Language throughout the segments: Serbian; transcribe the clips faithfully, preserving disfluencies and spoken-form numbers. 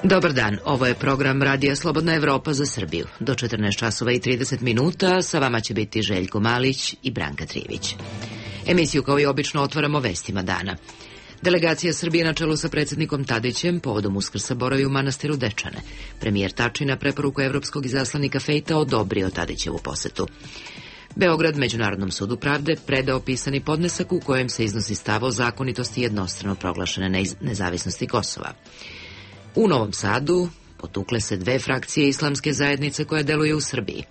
Dobar dan, ovo je program Radija Slobodna Evropa za Srbiju. Do četrnaest časova i trideset minuta sa vama će biti Željko Malić i Branka Trivić. Emisiju kao i obično otvaramo vestima dana. Delegacija Srbije na čelu sa predsjednikom Tadićem povodom Uskrsa boravi u manastiru Dečane. Premijer Tači na preporuku evropskog izaslanika Fejta odobrio Tadićevu posetu. Beograd Međunarodnom sudu pravde predao pisani podnesak u kojem se iznosi stav o zakonitosti jednostrano proglašene nezavisnosti Kosova. U Novom Sadu potukle se dve frakcije islamske zajednice koje deluju u Srbiji.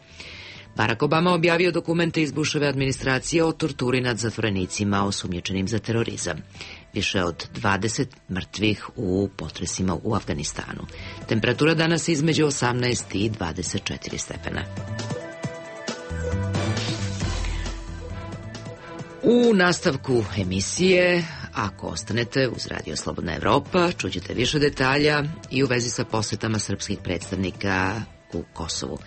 Barack Obama objavio dokumente iz Bushove administracije o torturi nad zatvorenicima osumnjičenim za terorizam. Više od dvadeset mrtvih u potresima u Afganistanu. Temperatura danas između osamnaest i dvadeset četiri stepena. U nastavku emisije, ako ostanete uz Radio Slobodna Evropa, čućete više detalja i u vezi sa posetama srpskih predstavnika u Kosovu.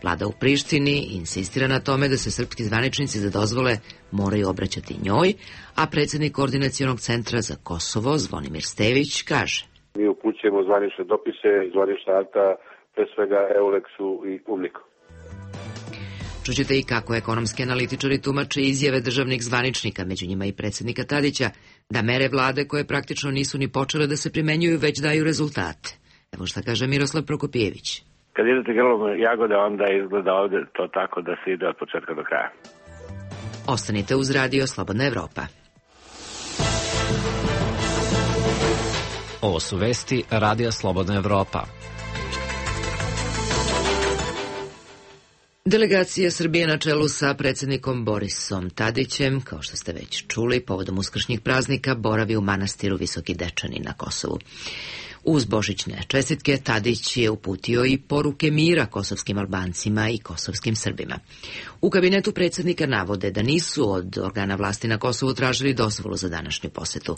Vlada u Prištini insistira na tome da se srpski zvaničnici za dozvole moraju obraćati njoj, a predsjednik Koordinacionog centra za Kosovo, Zvonimir Stević, kaže: Mi upućujemo zvanične dopise, zvanična akta, pre svega Euleksu i Umniku. Čućete i kako ekonomski analitičari tumače izjave državnih zvaničnika, među njima i predsjednika Tadića, da mere vlade koje praktično nisu ni počele da se primenjuju već daju rezultate. Evo šta kaže Miroslav Prokopijević. Kad idete grlom jagode, onda izgleda ovdje to tako da se ide od početka do kraja. Ostanite uz Radio Slobodna Evropa. Ovo su vesti Radija Slobodna Evropa. Delegacija Srbije na čelu sa predsjednikom Borisom Tadićem, kao što ste već čuli, povodom uskršnjih praznika boravi u manastiru Visoki Dečani na Kosovu. Uz božićne čestitke Tadić je uputio i poruke mira kosovskim Albancima i kosovskim Srbima. U kabinetu predsjednika navode da nisu od organa vlasti na Kosovu tražili dozvolu za današnju posetu.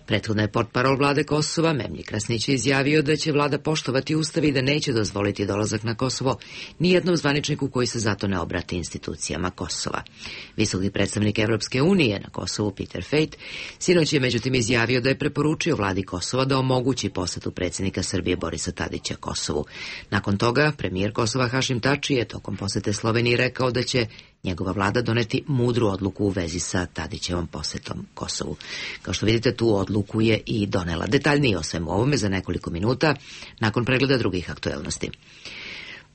Prethodno je portparol vlade Kosova, Memlji Krasnić, izjavio da će vlada poštovati ustav i da neće dozvoliti dolazak na Kosovo nijednom zvaničniku koji se zato ne obrati institucijama Kosova. Visoki predstavnik Evropske unije na Kosovu, Peter Fejt, sinoć je međutim izjavio da je preporučio vladi Kosova da omogući posetu predsjednika Srbije Borisa Tadića Kosovu. Nakon toga, premijer Kosova Hašim Tači je tokom posete Sloveniji rekao da će njegova vlada doneti mudru odluku u vezi sa Tadićevom posetom Kosovu. Kao što vidite, tu odluku je i donela. Detaljnije o svemu ovome za nekoliko minuta nakon pregleda drugih aktuelnosti.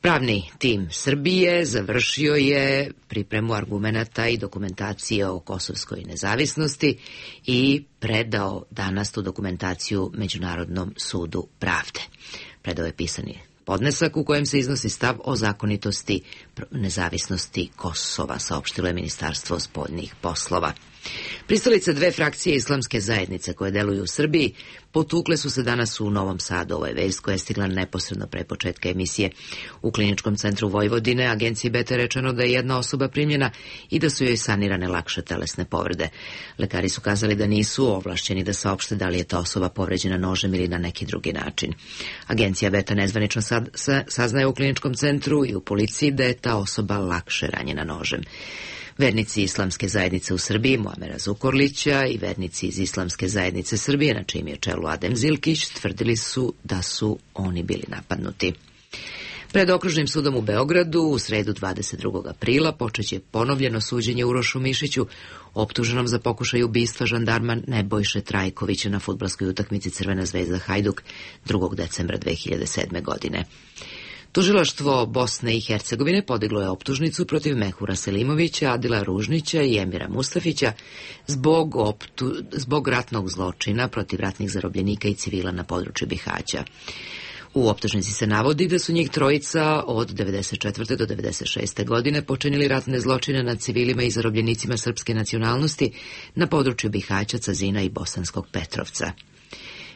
Pravni tim Srbije završio je pripremu argumenata i dokumentacije o kosovskoj nezavisnosti i predao danas tu dokumentaciju Međunarodnom sudu pravde. Predao je pisani podnesak u kojem se iznosi stav o zakonitosti nezavisnosti Kosova, saopštilo je Ministarstvo spoljnih poslova. Pristalice dve frakcije islamske zajednice koje deluju u Srbiji potukle su se danas u Novom Sadu. Ovo je vest koja je stigla neposredno pre početka emisije. U Kliničkom centru Vojvodine agenciji Beta rečeno da je jedna osoba primljena i da su joj sanirane lakše telesne povrede. Lekari su kazali da nisu ovlašćeni da saopšte da li je ta osoba povređena nožem ili na neki drugi način. Agencija Beta nezvanično sad, sa, saznaje u Kliničkom centru i u policiji da je ta osoba lakše ranjena nožem. Vernici islamske zajednice u Srbiji, Muamera Zukorlića, i vernici iz islamske zajednice Srbije, na čijem je čelu Adem Zilkić, tvrdili su da su oni bili napadnuti. Pred Okružnim sudom u Beogradu u sredu dvadeset drugog aprila počeće ponovljeno suđenje Urošu Mišiću, optuženom za pokušaj ubistva žandarma Nebojše Trajkovića na fudbalskoj utakmici Crvena zvezda Hajduk drugog decembra dve hiljade sedme. godine. Tužilaštvo Bosne i Hercegovine podiglo je optužnicu protiv Mehura Selimovića, Adila Ružnića i Emira Mustafića zbog, optu, zbog ratnog zločina protiv ratnih zarobljenika i civila na području Bihaća. U optužnici se navodi da su njih trojica od devedeset četvrte do devedeset šeste. godine počinili ratne zločine nad civilima i zarobljenicima srpske nacionalnosti na području Bihaća, Cazina i Bosanskog Petrovca.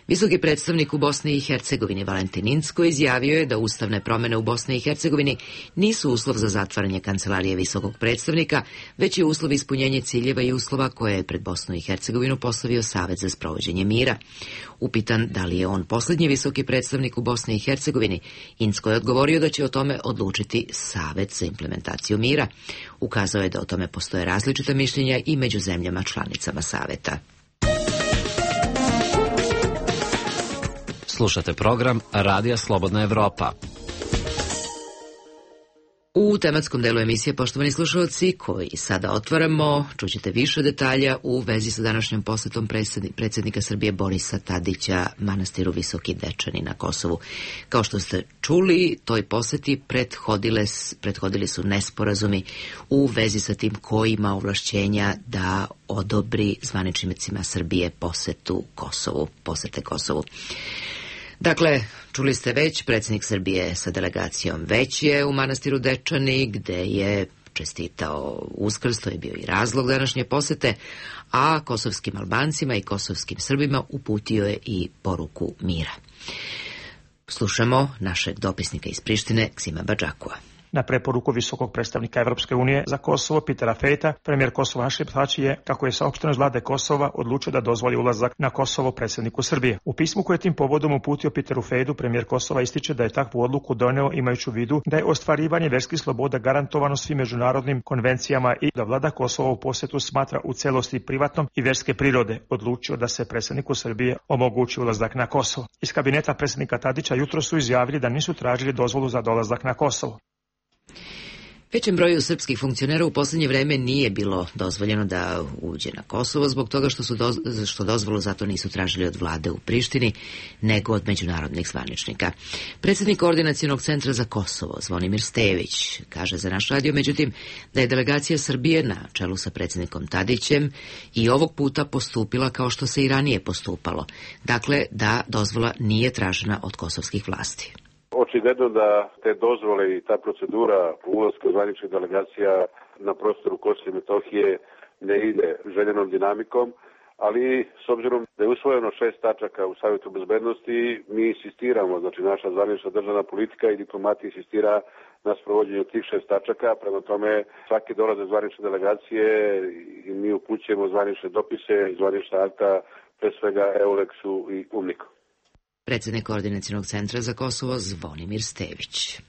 Visoki predstavnik u Bosni i Hercegovini Valentin Incko izjavio je da ustavne promjene u Bosni i Hercegovini nisu uslov za zatvaranje kancelarije visokog predstavnika, već je uslov ispunjenje ciljeva i uslova koje je pred Bosnu i Hercegovinu postavio Savet za sprovođenje mira. Upitan da li je on posljednji visoki predstavnik u Bosni i Hercegovini, Incko je odgovorio da će o tome odlučiti Savet za implementaciju mira. Ukazao je da o tome postoje različita mišljenja i među zemljama članicama Saveta. Slušate program Radija Slobodna Evropa. U tematskom delu emisije, poštovani slušalci, koji sada otvaramo, čućete više detalja u vezi sa današnjom posetom predsjednika Srbije Borisa Tadića manastiru Visoki Dečani na Kosovu. Kao što ste čuli, toj poseti prethodile, prethodili su nesporazumi u vezi sa tim ko ima ovlašćenja da odobri zvaničnicima Srbije posetu Kosovu, posete Kosovu. Dakle, čuli ste već, predsjednik Srbije sa delegacijom već je u manastiru Dečani, gde je čestitao Uskrs, to je bio i razlog današnje posete, a kosovskim Albancima i kosovskim Srbima uputio je i poruku mira. Slušamo našeg dopisnika iz Prištine, Ksima Badžakua. Na preporuku visokog predstavnika Evropske unije za Kosovo, Petera Fejta, premijer Kosova Hašim Tači je, kako je saopšteno iz vlade Kosova, odlučio da dozvoli ulazak na Kosovo predsjedniku Srbije. U pismu koje je tim povodom uputio Peteru Fejdu, premijer Kosova ističe da je takvu odluku doneo imajući u vidu da je ostvarivanje verskih sloboda garantovano svim međunarodnim konvencijama i da vlada Kosova u posjetu smatra u celosti privatnom i verske prirode, odlučio da se predsjedniku Srbije omogući ulazak na Kosovo. Iz kabineta predsjednika Tadića jutro su izjavili da nisu tražili dozvolu za dolazak na Kosovo. Većem broju srpskih funkcionera u posljednje vreme nije bilo dozvoljeno da uđe na Kosovo zbog toga što, su doz, što dozvolu zato nisu tražili od vlade u Prištini, nego od međunarodnih zvaničnika. Predsjednik Koordinacionog centra za Kosovo, Zvonimir Stević, kaže za naš radio, međutim, da je delegacija Srbije na čelu sa predsjednikom Tadićem i ovog puta postupila kao što se i ranije postupalo. Dakle, da dozvola nije tražena od kosovskih vlasti. Očigledno da te dozvole i ta procedura ulaska zvaničnih delegacija na prostoru Kosova i Metohije ne ide željenom dinamikom, ali s obzirom da je usvojeno šest tačaka u Savjetu bezbednosti, mi insistiramo, znači naša zvanična državna politika i diplomatija insistira na sprovođenju tih šest tačaka, prema tome svaki dolaze zvanične delegacije i mi upućujemo zvanične dopise i zvanična akta, pre svega Euleksu i UNMIK-u. Predsjednik Koordinacionog centra za Kosovo Zvonimir Stević.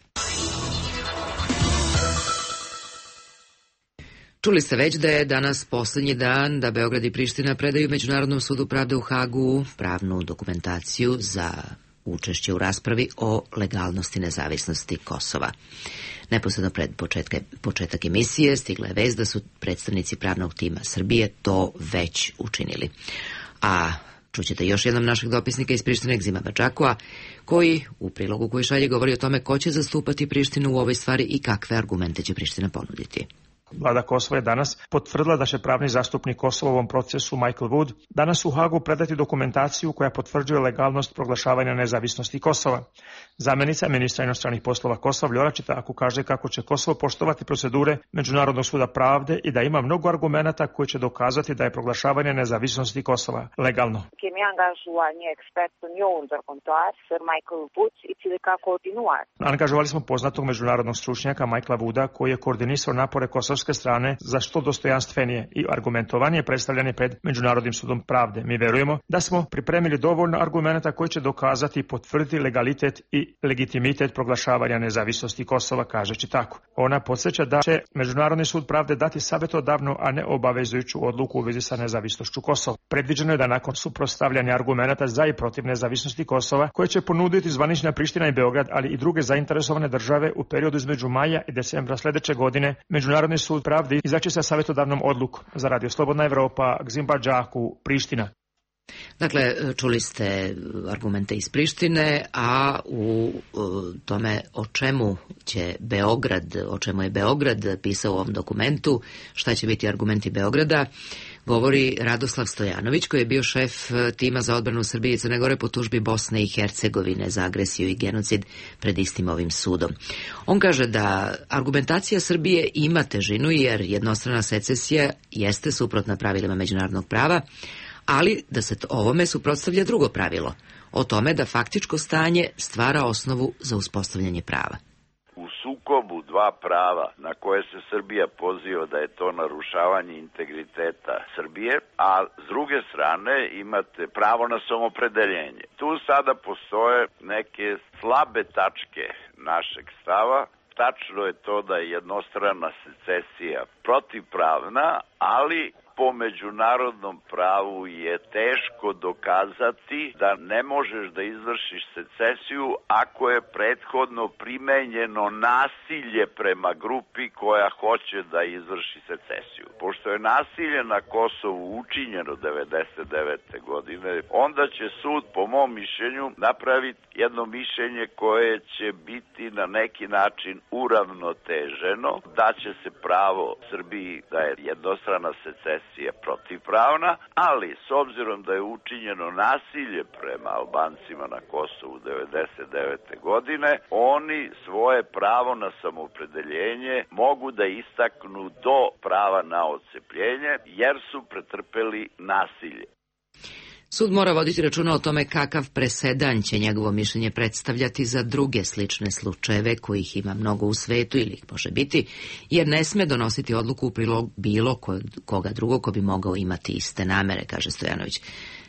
Čuli ste već da je danas posljednji dan da Beograd i Priština predaju Međunarodnom sudu pravde u Hagu pravnu dokumentaciju za učešće u raspravi o legalnosti nezavisnosti Kosova. Neposredno pred početka, početak emisije stigla je vest da su predstavnici pravnog tima Srbije to već učinili. A čućete još jednom našeg dopisnika iz Prištine, Ksima Badžakua, koji u prilogu koji šalje govori o tome ko će zastupati Prištinu u ovoj stvari i kakve argumente će Priština ponuditi. Vlada Kosova je danas potvrdila da će pravni zastupnik Kosova u ovom procesu Michael Wood danas u Hagu predati dokumentaciju koja potvrđuje legalnost proglašavanja nezavisnosti Kosova. Zamjenica ministra inostranih poslova Kosova Vljora Čitaku kaže kako će Kosovo poštovati procedure Međunarodnog suda pravde i da ima mnogo argumenata koji će dokazati da je proglašavanje nezavisnosti Kosova legalno. Angažovali smo poznatog međunarodnog stručnjaka Michaela Wooda koji je koordinisao napore kosovske strane za što dostojanstvenije i argumentovanje predstavljanje pred Međunarodnim sudom pravde. Mi verujemo da smo pripremili dovoljno argumenata koji će dokazati i potvrditi legalitet i legitimitet proglašavanja nezavisnosti Kosova, kažeći tako. Ona podsjeća da će Međunarodni sud pravde dati savjetodavnu, a ne obavezujuću odluku u vezi sa nezavisnošću Kosova. Predviđeno je da nakon suprotstavljanja argumenata za i protiv nezavisnosti Kosova, koje će ponuditi zvanična Priština i Beograd, ali i druge zainteresovane države u periodu između maja i decembra sljedeće godine, Međunarodni sud pravde izaći sa savjetodavnom odlukom. Za Radio Slobodna Evropa, Ksima Badžakua, Priština. Dakle, čuli ste argumente iz Prištine, a u tome o čemu će Beograd, o čemu je Beograd pisao u ovom dokumentu, šta će biti argumenti Beograda, govori Radoslav Stojanović, koji je bio šef tima za odbranu Srbije i Crne Gore po tužbi Bosne i Hercegovine za agresiju i genocid pred istim ovim sudom. On kaže da argumentacija Srbije ima težinu jer jednostrana secesija jeste suprotna pravilima međunarodnog prava, ali da se ovome suprotstavlja drugo pravilo, o tome da faktičko stanje stvara osnovu za uspostavljanje prava. U sukobu dva prava na koje se Srbija poziva da je to narušavanje integriteta Srbije, a s druge strane imate pravo na samopredeljenje. Tu sada postoje neke slabe tačke našeg stava. Tačno je to da je jednostrana secesija protivpravna, ali po međunarodnom pravu je teško dokazati da ne možeš da izvršiš secesiju ako je prethodno primenjeno nasilje prema grupi koja hoće da izvrši secesiju. Pošto je nasilje na Kosovu učinjeno devedeset devete godine, onda će sud, po mom mišljenju, napraviti jedno mišljenje koje će biti na neki način uravnoteženo, da će se pravo Srbiji da je jednostrana secesija protivpravna, ali s obzirom da je učinjeno nasilje prema Albancima na Kosovu devedeset devete godine, oni svoje pravo na samoopredeljenje mogu da istaknu do prava na odcepljenje, jer su pretrpeli nasilje. Sud mora voditi računa o tome kakav presedan će njegovo mišljenje predstavljati za druge slične slučajeve, kojih ima mnogo u svetu ili ih može biti, jer ne sme donositi odluku u prilog bilo koga drugog ko bi mogao imati iste namere, kaže Stojanović.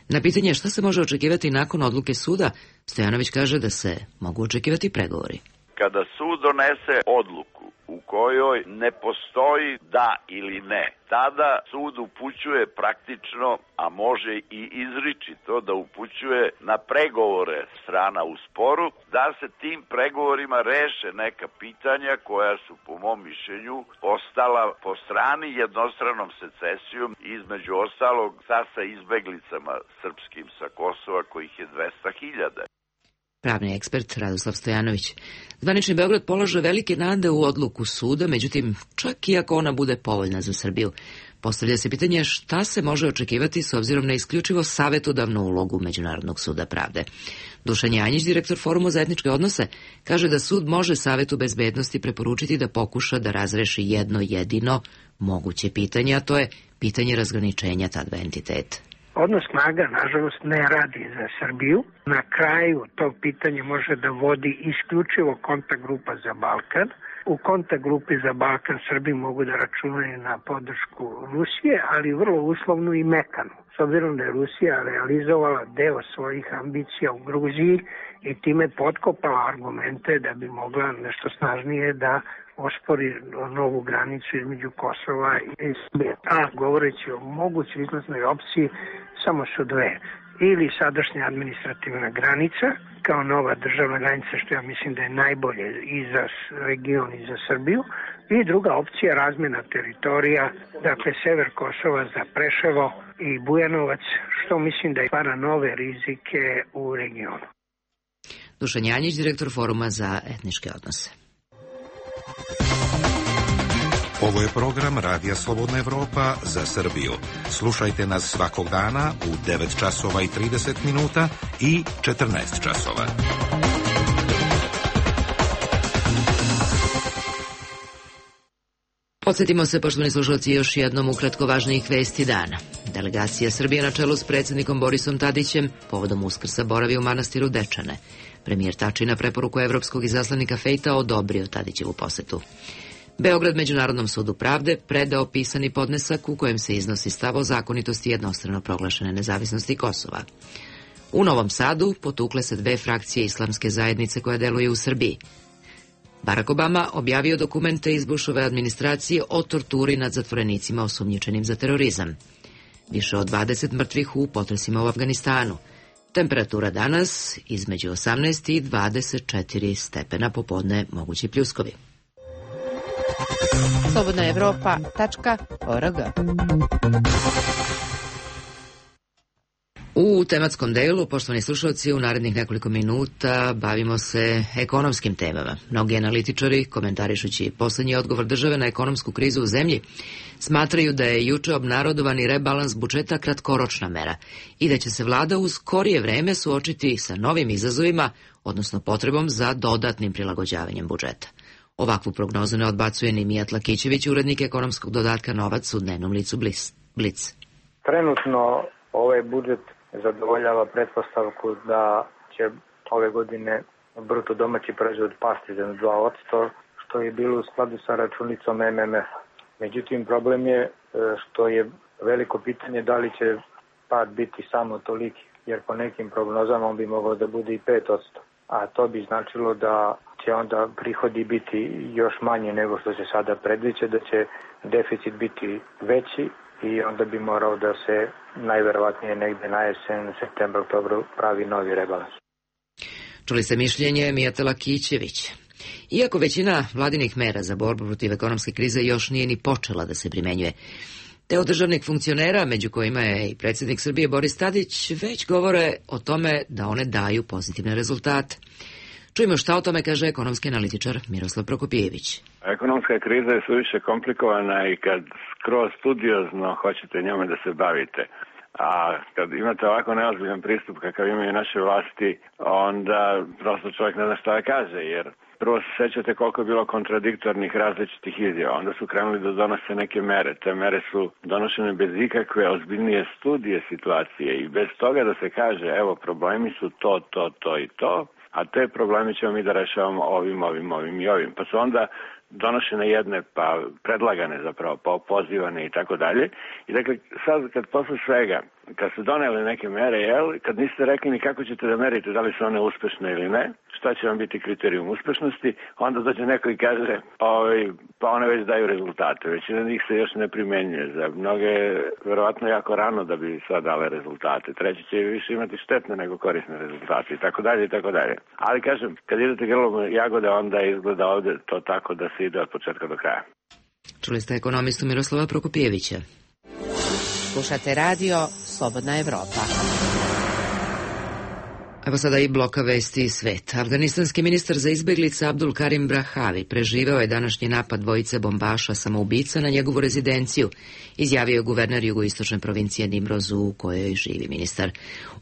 Na pitanje šta se može očekivati nakon odluke suda, Stojanović kaže da se mogu očekivati pregovori. Kada sud donese odluku u kojoj ne postoji da ili ne, tada sud upućuje praktično, a može i izričito da upućuje na pregovore strana u sporu, da se tim pregovorima reše neka pitanja koja su, po mom mišljenju, ostala po strani jednostranom secesijom, između ostalog sa sa izbeglicama srpskim sa Kosova, kojih je dvesta hiljada. Pravni ekspert Radoslav Stojanović. Zvanični Beograd polaže velike nade u odluku suda, međutim, čak i ako ona bude povoljna za Srbiju. Postavlja se pitanje šta se može očekivati s obzirom na isključivo savetodavnu ulogu Međunarodnog suda pravde. Dušan Janjić, direktor Foruma za etničke odnose, kaže da sud može Savetu bezbednosti preporučiti da pokuša da razreši jedno jedino moguće pitanje, a to je pitanje razgraničenja ta dva entiteta. Odnos snaga, nažalost, ne radi za Srbiju. Na kraju to pitanje može da vodi isključivo kontakt grupa za Balkan. U kontakt grupi za Balkan Srbi mogu da računaju na podršku Rusije, ali vrlo uslovnu i mekanu. S obzirom da je Rusija realizovala deo svojih ambicija u Gruziji i time potkopala argumente da bi mogla nešto snažnije da ospori novu granicu između Kosova i Srbije. A govoreći o mogućoj izlaznoj opciji, samo su dve. Ili sadašnja administrativna granica, kao nova državna granica, što ja mislim da je najbolje i za region i za Srbiju, i druga opcija razmjena teritorija, dakle sever Kosova za Preševo i Bujanovac, što mislim da stvara nove rizike u regionu. Dušan Janjić, direktor Foruma za etničke odnose. Ovo je program Radija Slobodna Evropa za Srbiju. Slušajte nas svakog dana u devet časova i trideset minuta i četrnaest časova. Podsjetimo se, poštovani slušalci, još jednom ukratko važnijih vesti dana. Delegacija Srbije na čelu s predsjednikom Borisom Tadićem povodom Uskrsa boravi u manastiru Dečane. Premijer Tači na preporuku evropskog izaslanika Fejta odobrio Tadićevu posetu. Beograd Međunarodnom sudu pravde predao pisani podnesak u kojem se iznosi stav o zakonitosti jednostrano proglašene nezavisnosti Kosova. U Novom Sadu potukle se dve frakcije islamske zajednice koja deluje u Srbiji. Barack Obama objavio dokumente iz Bushove administracije o torturi nad zatvorenicima osumnjičenim za terorizam. Više od dvadeset mrtvih u potresima u Afganistanu. Temperatura danas između osamnaest i dvadeset četiri stepena, popodne mogući pljuskovi. slobodna evropa tačka org. U tematskom delu, poštovani slušalci, u narednih nekoliko minuta bavimo se ekonomskim temama. Mnogi analitičari, komentarišući poslednji odgovor države na ekonomsku krizu u zemlji, smatraju da je juče obnarodovani rebalans budžeta kratkoročna mera i da će se vlada u skorije vreme suočiti sa novim izazovima, odnosno potrebom za dodatnim prilagođavanjem budžeta. Ovakvu prognozu ne odbacuje ni Mijat Lakićević, urednik ekonomskog dodatka Novac u dnevnom licu Blic. Trenutno ovaj budžet zadovoljava pretpostavku da će ove godine bruto domaći proizvod pasti za dva posto, što je bilo u skladu sa računicom M M F-a. Međutim, problem je što je veliko pitanje da li će pad biti samo toliki, jer po nekim prognozama on bi mogao da bude i pet posto. A to bi značilo da će onda prihodi biti još manje nego što se sada predviđa, da će deficit biti veći i onda bi morao da se najverovatnije negde na jesen, septembru, oktobru pravi novi rebalans. Čuli ste mišljenje Mijatela Kićevića. Iako većina vladinih mera za borbu protiv ekonomske krize još nije ni počela da se primenjuje, te od državnih funkcionera, među kojima je i predsjednik Srbije Boris Tadić, već govore o tome da one daju pozitivne rezultate. Čujemo šta o tome kaže ekonomski analitičar Miroslav Prokopijević. Ekonomska kriza je suviše komplikovana i kad skroz studiozno hoćete njome da se bavite, a kad imate ovako neozbiljan pristup kakav imaju naše vlasti, onda prosto čovjek ne zna šta da kaže, jer prvo se sećate koliko je bilo kontradiktornih različitih izjava, onda su krenuli da donose neke mere. Te mere su donošene bez ikakve ozbiljnije studije situacije i bez toga da se kaže, evo, problemi su to, to, to i to, a te probleme ćemo mi da rešavamo ovim, ovim, ovim i ovim. Pa su onda donošene jedne, pa predlagane zapravo, pa opozivane i tako dalje. I dakle, sad kad posle svega, kad su doneli neke mere, jel, kad niste rekli ni kako ćete da merite da li su one uspešne ili ne, šta će vam biti kriterijum uspešnosti, onda dođe neko i kaže, ovaj, pa one već daju rezultate. Većina njih se još ne primenjuje. Za mnoge, verovatno jako rano da bi sad dale rezultate. Treći će više imati štetne nego korisne rezultate i tako dalje i tako dalje. Ali kažem, kad idete grlom jagode, onda izgleda ovde to tako da se ide od početka do kraja. Čuli ste ekonomistu Miroslava Prokopijevića. Slušate radio Slobodna Evropa. Evo sada i bloka vesti i svet. Afganistanski ministar za izbeglice Abdul Karim Brahavi preživeo je današnji napad dvojice bombaša samoubica na njegovu rezidenciju, izjavio je guverner jugoistočne provincije Nimroz u kojoj živi ministar.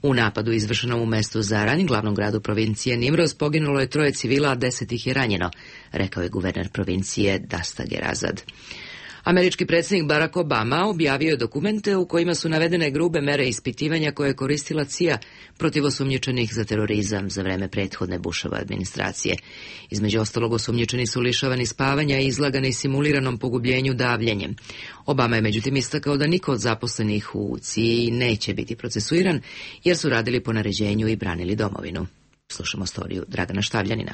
U napadu izvršenom u mestu Zaran, glavnom gradu provincije Nimroz, poginulo je troje civila, a deset ih je ranjeno, rekao je guverner provincije Dastager Azad. Američki predsjednik Barack Obama objavio je dokumente u kojima su navedene grube mere ispitivanja koje je koristila C I A protiv osumnjičenih za terorizam za vreme prethodne Bushove administracije. Između ostalog, osumnjičeni su lišavani spavanja i izlagani simuliranom pogubljenju davljenjem. Obama je međutim istakao da niko od zaposlenih u C I A neće biti procesuiran jer su radili po naređenju i branili domovinu. Slušamo storiju Dragana Štavljanina.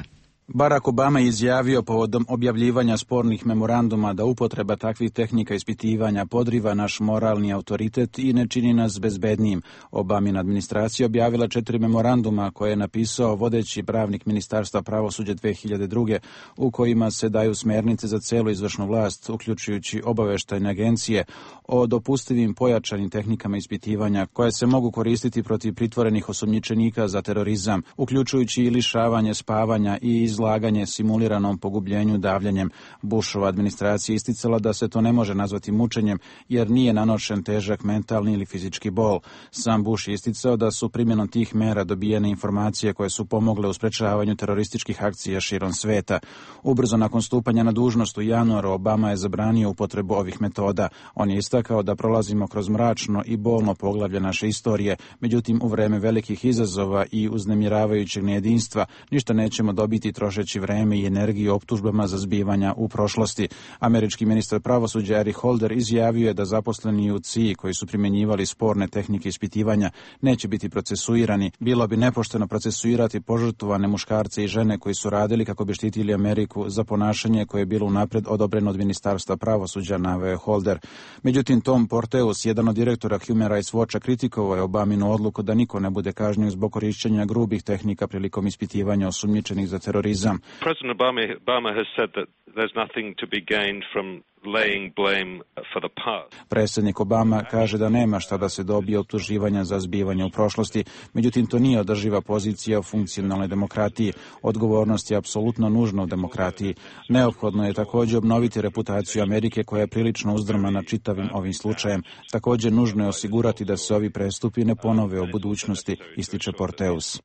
Barack Obama je izjavio povodom objavljivanja spornih memoranduma da upotreba takvih tehnika ispitivanja podriva naš moralni autoritet i ne čini nas bezbednijim. Obamina administracija objavila četiri memoranduma koje je napisao vodeći pravnik Ministarstva pravosuđa dve hiljade druge u kojima se daju smernice za celu izvršnu vlast, uključujući obaveštajne agencije, o dopustivim pojačanim tehnikama ispitivanja koje se mogu koristiti protiv pritvorenih osumnjičenika za terorizam, uključujući i lišavanje spavanja i izlaganje simuliranom pogubljenju davljenjem. Bushova administracija isticala da se to ne može nazvati mučenjem jer nije nanošen težak mentalni ili fizički bol. Sam Bush je isticao da su primjenom tih mera dobijene informacije koje su pomogle u sprečavanju terorističkih akcija širom sveta. Ubrzo nakon stupanja na dužnost u januaru Obama je zabranio upotrebu ovih metoda. On je istakao da prolazimo kroz mračno i bolno poglavlje naše istorije, međutim u vreme velikih izazova i uznemiravajućeg nejedinstva ništa nećemo dobiti trošeći vreme i energiju optužbama za zbivanja u prošlosti. Američki ministar pravosuđa Eric Holder izjavio je da zaposleni u C I A koji su primjenjivali sporne tehnike ispitivanja neće biti procesuirani. Bilo bi nepošteno procesuirati požrtvovane muškarce i žene koji su radili kako bi štitili Ameriku za ponašanje koje je bilo unapred odobreno od Ministarstva pravosuđa, naveo je Holder. Međutim, Tom Porteus, jedan od direktora Human Rights Watcha, kritikovao je Obaminu odluku da niko ne bude kažnjen zbog korišćenja grubih tehnika prilikom ispitivanja osumnjičenih za terorizam. President Obama, Obama has said that there's nothing to be gained from laying blame for the past. Predsjednik Obama kaže da nema šta da se dobije optuživanja za zbivanje u prošlosti, međutim to nije održiva pozicija u funkcionalnoj demokratiji. Odgovornost je apsolutno nužna u demokratiji. Neophodno je također obnoviti reputaciju Amerike koja je prilično uzdrmana čitavim ovim slučajem. Također nužno je osigurati da se ovi prestupi ne ponove u budućnosti, ističe Porteus.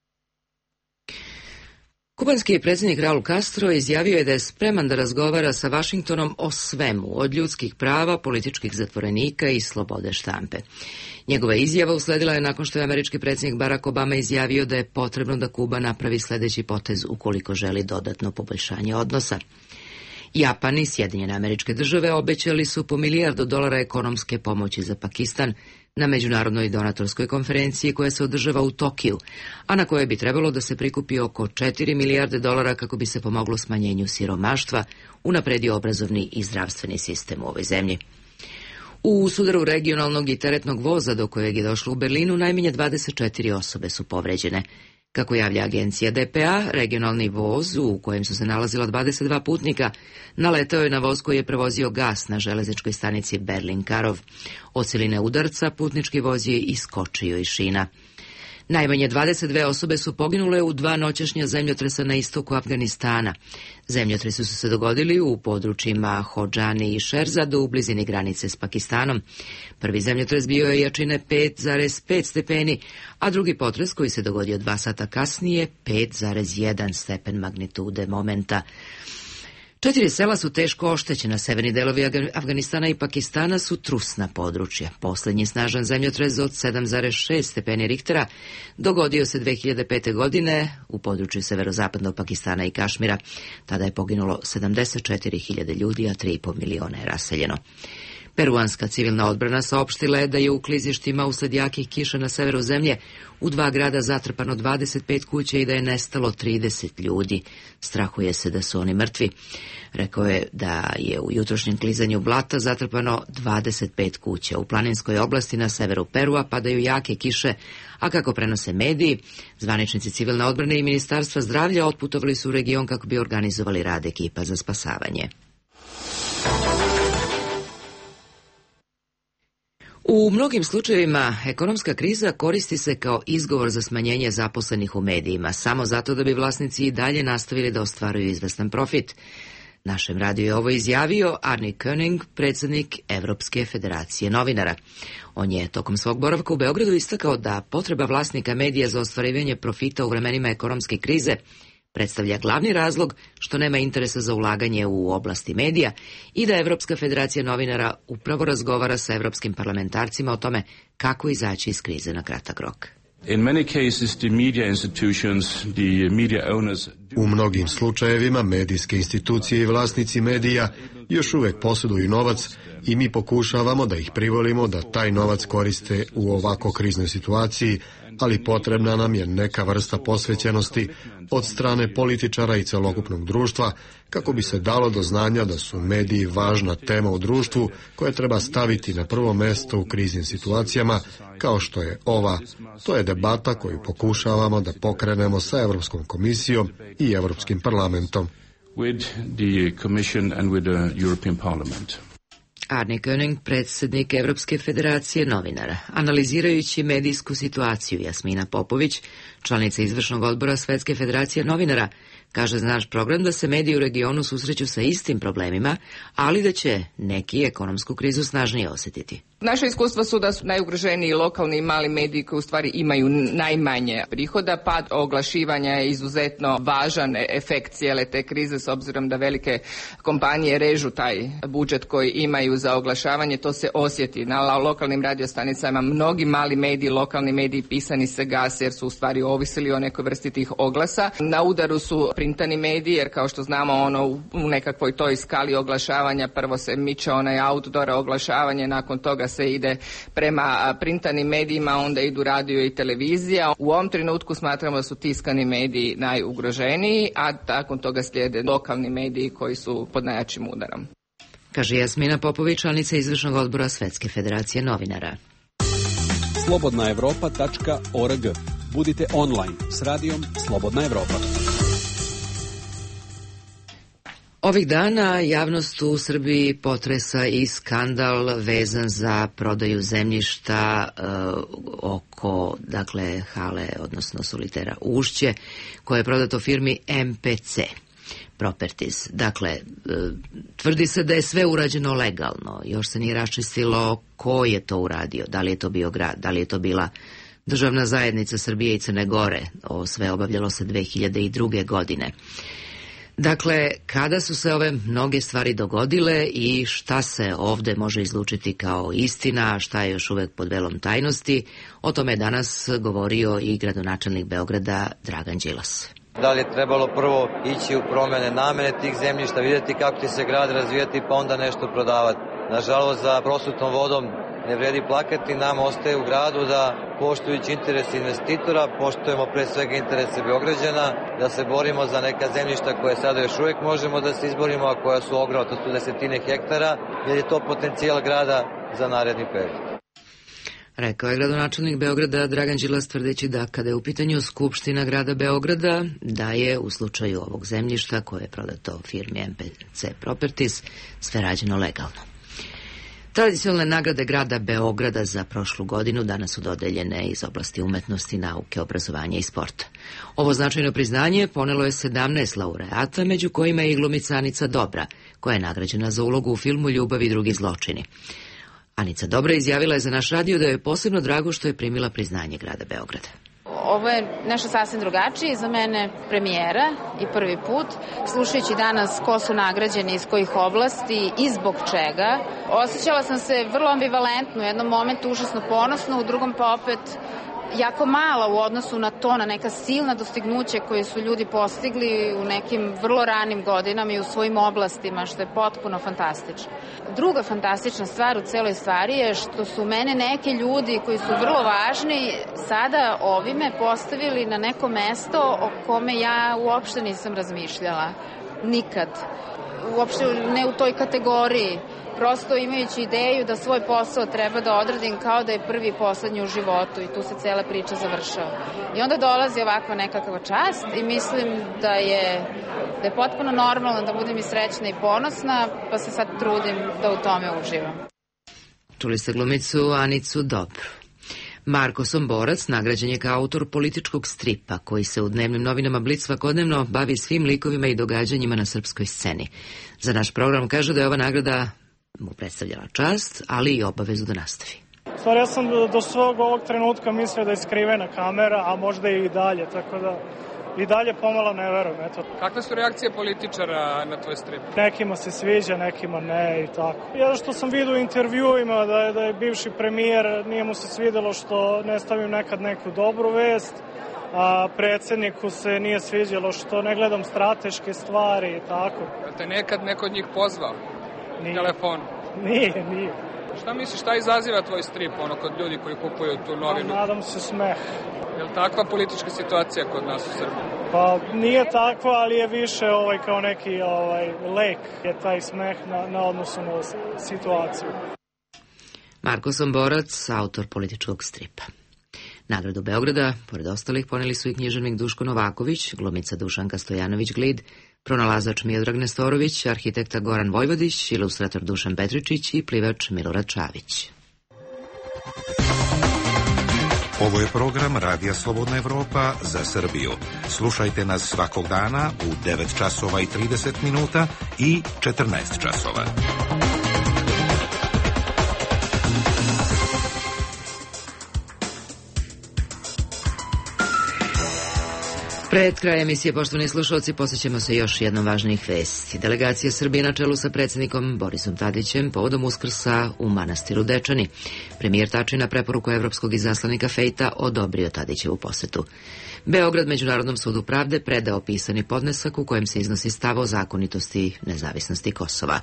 Kubanski predsjednik Raul Castro izjavio je da je spreman da razgovara sa Vašingtonom o svemu, od ljudskih prava, političkih zatvorenika i slobode štampe. Njegova izjava usledila je nakon što je američki predsjednik Barack Obama izjavio da je potrebno da Kuba napravi sljedeći potez ukoliko želi dodatno poboljšanje odnosa. Japan i Sjedinjene Američke Države obećali su po milijardu dolara ekonomske pomoći za Pakistan na međunarodnoj donatorskoj konferenciji koja se održava u Tokiju, a na kojoj bi trebalo da se prikupi oko četiri milijarde dolara kako bi se pomoglo smanjenju siromaštva, unapredio obrazovni i zdravstveni sistem u ovoj zemlji. U sudaru regionalnog i teretnog voza do kojeg je došlo u Berlinu najmanje dvadeset četiri osobe su povređene. Kako javlja agencija D P A, regionalni voz u kojem su se nalazila dvadeset dva putnika naletao je na voz koji je prevozio gas na železničkoj stanici Berlin-Karov. Od siline udarca putnički voz je iskočio iz šina. Najmanje dvadeset dve osobe su poginule u dva noćašnja zemljotresa na istoku Afganistana. Zemljotresi su se dogodili u područjima Hodžani i Šerzadu u blizini granice s Pakistanom. Prvi zemljotres bio je jačine pet zarez pet stepeni, a drugi potres koji se dogodio dva sata kasnije pet zarez jedan stepen magnitude momenta. Četiri sela su teško oštećena, severni delovi Afganistana i Pakistana su trusna područja. Posljednji snažan zemljotres od sedam zarez šest stepeni Richtera dogodio se dve hiljade pete. godine u području severozapadnog Pakistana i Kašmira. Tada je poginulo sedamdeset četiri hiljade ljudi, a tri i po miliona je raseljeno. Peruanska civilna odbrana saopštila je da je u klizištima usled jakih kiša na severu zemlje u dva grada zatrpano dvadeset pet kuća i da je nestalo trideset ljudi. Strahuje se da su oni mrtvi. Rekao je da je u jutrošnjem klizanju blata zatrpano dvadeset pet kuća. U planinskoj oblasti na severu Perua padaju jake kiše, a kako prenose mediji, zvaničnici civilne odbrane i Ministarstva zdravlja otputovali su u region kako bi organizovali rad ekipa za spasavanje. U mnogim slučajevima ekonomska kriza koristi se kao izgovor za smanjenje zaposlenih u medijima, samo zato da bi vlasnici i dalje nastavili da ostvaruju izvestan profit. Našem radiju je ovo izjavio Arne König, predsjednik Evropske federacije novinara. On je tokom svog boravka u Beogradu istakao da potreba vlasnika medija za ostvarivanje profita u vremenima ekonomske krize predstavlja glavni razlog što nema interesa za ulaganje u oblasti medija i da Evropska federacija novinara upravo razgovara sa evropskim parlamentarcima o tome kako izaći iz krize na kratak rok. U mnogim slučajevima medijske institucije i vlasnici medija još uvek posjeduju novac i mi pokušavamo da ih privolimo da taj novac koriste u ovako kriznoj situaciji, ali potrebna nam je neka vrsta posvećenosti od strane političara i celokupnog društva kako bi se dalo do znanja da su mediji važna tema u društvu koje treba staviti na prvo mesto u kriznim situacijama kao što je ova. To je debata koju pokušavamo da pokrenemo sa Evropskom komisijom i Evropskim parlamentom. With the Commission and with the European Parliament. Arne König, predsjednik Evropske federacije novinara. Analizirajući medijsku situaciju, Jasmina Popović, članica izvršnog odbora Svetske federacije novinara, kaže za naš program da se mediji u regionu susreću sa istim problemima, ali da će neki ekonomsku krizu snažnije osjetiti. Naša iskustva su da su najugroženiji lokalni i mali mediji koji u stvari imaju najmanje prihoda. Pad oglašivanja je izuzetno važan efekt cijele te krize s obzirom da velike kompanije režu taj budžet koji imaju za oglašavanje. To se osjeti na lokalnim radiostanicama. Mnogi mali mediji, lokalni mediji pisani se gase jer su u stvari ovisili o nekoj vrsti tih oglasa. Na udaru su printani mediji jer kao što znamo ono u nekakvoj toj skali oglašavanja prvo se miče onaj outdoor oglašavanje, nakon toga se ide prema printanim medijima, onda idu radio i televizija. U ovom trenutku smatramo da su tiskani mediji najugroženiji, a nakon toga slijede lokalni mediji koji su pod najjačim udarom. Kaže Jasmina Popović, članica izvršnog odbora Svetske federacije novinara. slobodna evropa tačka org. Budite online s radijom Slobodna Evropa. Ovih dana javnost u Srbiji potresa i skandal vezan za prodaju zemljišta e, oko, dakle, hale, odnosno solitera Ušće, koje je prodato firmi M P C Properties. Dakle, e, tvrdi se da je sve urađeno legalno, još se nije raščistilo ko je to uradio, da li je to bio grad, da li je to bila državna zajednica Srbije i Crne Gore. Ovo sve obavljalo se dve hiljade druge. godine. Dakle, kada su se ove mnoge stvari dogodile i šta se ovde može izlučiti kao istina, a šta je još uvek pod velom tajnosti, o tome je danas govorio i gradonačelnik Beograda Dragan Đilas. Da li je trebalo prvo ići u promene namene tih zemljišta, vidjeti kako će se grad razvijati pa onda nešto prodavati. Nažalost, za prosutnom vodom ne vredi plakati, nam ostaje u gradu da poštujući interese investitora, poštujemo pre svega interese Beograđana, da se borimo za neka zemljišta koje sada još uvijek možemo da se izborimo, a koja su ogromna, to su desetine hektara, jer je to potencijal grada za naredni period. Rekao je gradonačelnik Beograda Dragan Đilas, tvrdeći da kada je u pitanju Skupština grada Beograda, da je u slučaju ovog zemljišta koje je prodato firmi M P C Properties sve rađeno legalno. Tradicionalne nagrade grada Beograda za prošlu godinu danas su dodeljene iz oblasti umetnosti, nauke, obrazovanja i sporta. Ovo značajno priznanje ponelo je sedamnaest laureata, među kojima je i glumica Anica Dobra, koja je nagrađena za ulogu u filmu Ljubav i drugi zločini. Anica Dobra izjavila je za naš radio da je posebno drago što je primila priznanje grada Beograda. Ovo je nešto sasvim drugačije, za mene premijera i prvi put. Slušajući danas ko su nagrađeni, iz kojih oblasti i zbog čega, osjećala sam se vrlo ambivalentno, u jednom momentu užasno ponosno, u drugom pa opet jako mala u odnosu na to, na neka silna dostignuća koje su ljudi postigli u nekim vrlo ranim godinama i u svojim oblastima, što je potpuno fantastično. Druga fantastična stvar u celoj stvari je što su mene neki ljudi koji su vrlo važni sada ovime postavili na neko mesto o kome ja uopšte nisam razmišljala. Nikad. Uopšte ne u toj kategoriji. Prosto imajući ideju da svoj posao treba da odradim kao da je prvi i poslednji u životu i tu se cela priča završava. I onda dolazi ovakva nekakva čast i mislim da je, da je potpuno normalno da budem i srećna i ponosna, pa se sad trudim da u tome uživam. Čuli ste glumicu Anicu Dobru. Marko Somborac nagrađen je kao autor političkog stripa koji se u dnevnim novinama Blic svakodnevno bavi svim likovima i događanjima na srpskoj sceni. Za naš program kaže da je ova nagrada mu predstavljala čast, ali i obavezu da nastavi. Stvar, ja sam do svog ovog trenutka mislio da je skrivena kamera, a možda i dalje, tako da i dalje pomalo ne verujem. Eto. Kakve su reakcije političara na tvoj strip? Nekima se sviđa, nekima ne i tako. Ja što sam vidio u intervjuima da je, da je bivši premijer, nije mu se svidelo što ne stavim nekad neku dobru vest, a predsjedniku se nije sviđalo što ne gledam strateške stvari i tako. Da te nekad neko od njih pozvao? Nije. Telefon? Nije, nije. Šta misliš, šta izaziva tvoj strip, ono, kod ljudi koji kupuju tu novinu? A, nadam se smeh. Je li takva politička situacija kod nas u Srbiji? Pa nije takva, ali je više ovaj, kao neki ovaj, lek je taj smeh na, na odnosu na situaciju. Marko Somborac, autor političkog stripa. Nagradu Beograda, pored ostalih, poneli su i književnik Duško Novaković, glumica Dušanka Stojanović-Glid, pronalazač Miodrag Nestorović, arhitekta Goran Vojvodić, ilustrator Dušan Petričić i plivač Milorad Čavić. Ovo je program Radija Slobodna Evropa za Srbiju. Slušajte nas svakog dana u devet časova i trideset minuta i četrnaest časova. Pred kraj emisije, poštovani slušalci, posjećamo se još jednom važnijih vesti. Delegacija Srbije na čelu sa predsjednikom Borisom Tadićem povodom Uskrsa u manastiru Dečani. Premijer Tači na preporuku evropskog izaslanika Fejta odobrio Tadićevu posetu. Beograd Međunarodnom sudu pravde predao pisani podnesak u kojem se iznosi stav o zakonitosti i nezavisnosti Kosova.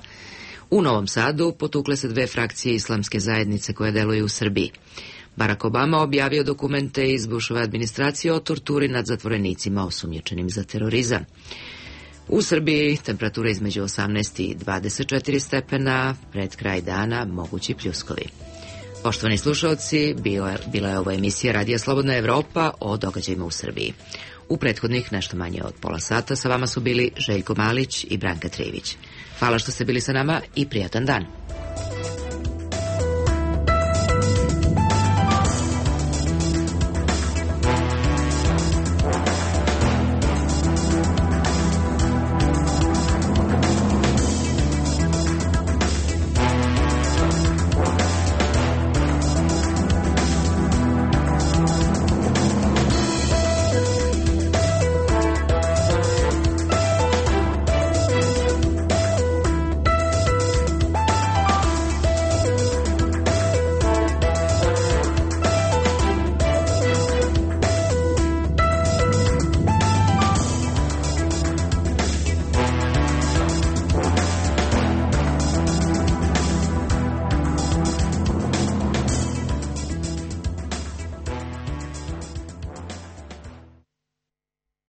U Novom Sadu potukle se dve frakcije islamske zajednice koje deluju u Srbiji. Barack Obama objavio dokumente iz Bushove administracije o torturi nad zatvorenicima osumnjičenim za terorizam. U Srbiji temperatura između osamnaest i dvadeset četiri stepena, pred kraj dana mogući pljuskovi. Poštovani slušalci, bila je ovo emisija Radija Slobodna Evropa o događajima u Srbiji. U prethodnih nešto manje od pola sata sa vama su bili Željko Malić i Branka Trijević. Hvala što ste bili sa nama i prijatan dan.